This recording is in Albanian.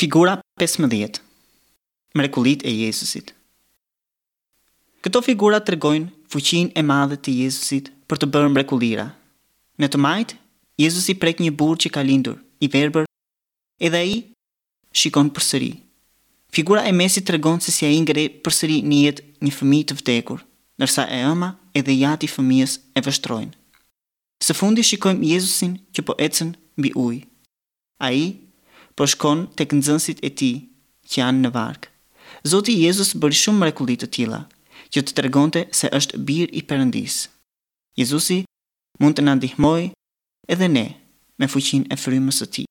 Figura 15. Mrekullitë e Jezusit. Këto figura tregojnë fuqinë e madhe të Jezusit për të bërë mrekullira. Në të majtë, Jezusi prek një burrë që ka lindur, i verbër, edhe ai shikon përsëri. Figura e mesit tregon se si ai ngre përsëri në jetë një fëmijë të vdekur, ndërsa e ëma edhe i ati i fëmijës e vështrojnë. Së fundi shikojmë Jezusin që po ecën mbi ujë. Ai po shkon tek nxënësit e tij që janë në varkë. Zoti Jezus bëri shumë mrekulli të tilla, që të tregonte se është Bir i Perëndisë. Jezusi mund të na ndihmojë edhe ne me fuqinë e Frymës së Tij.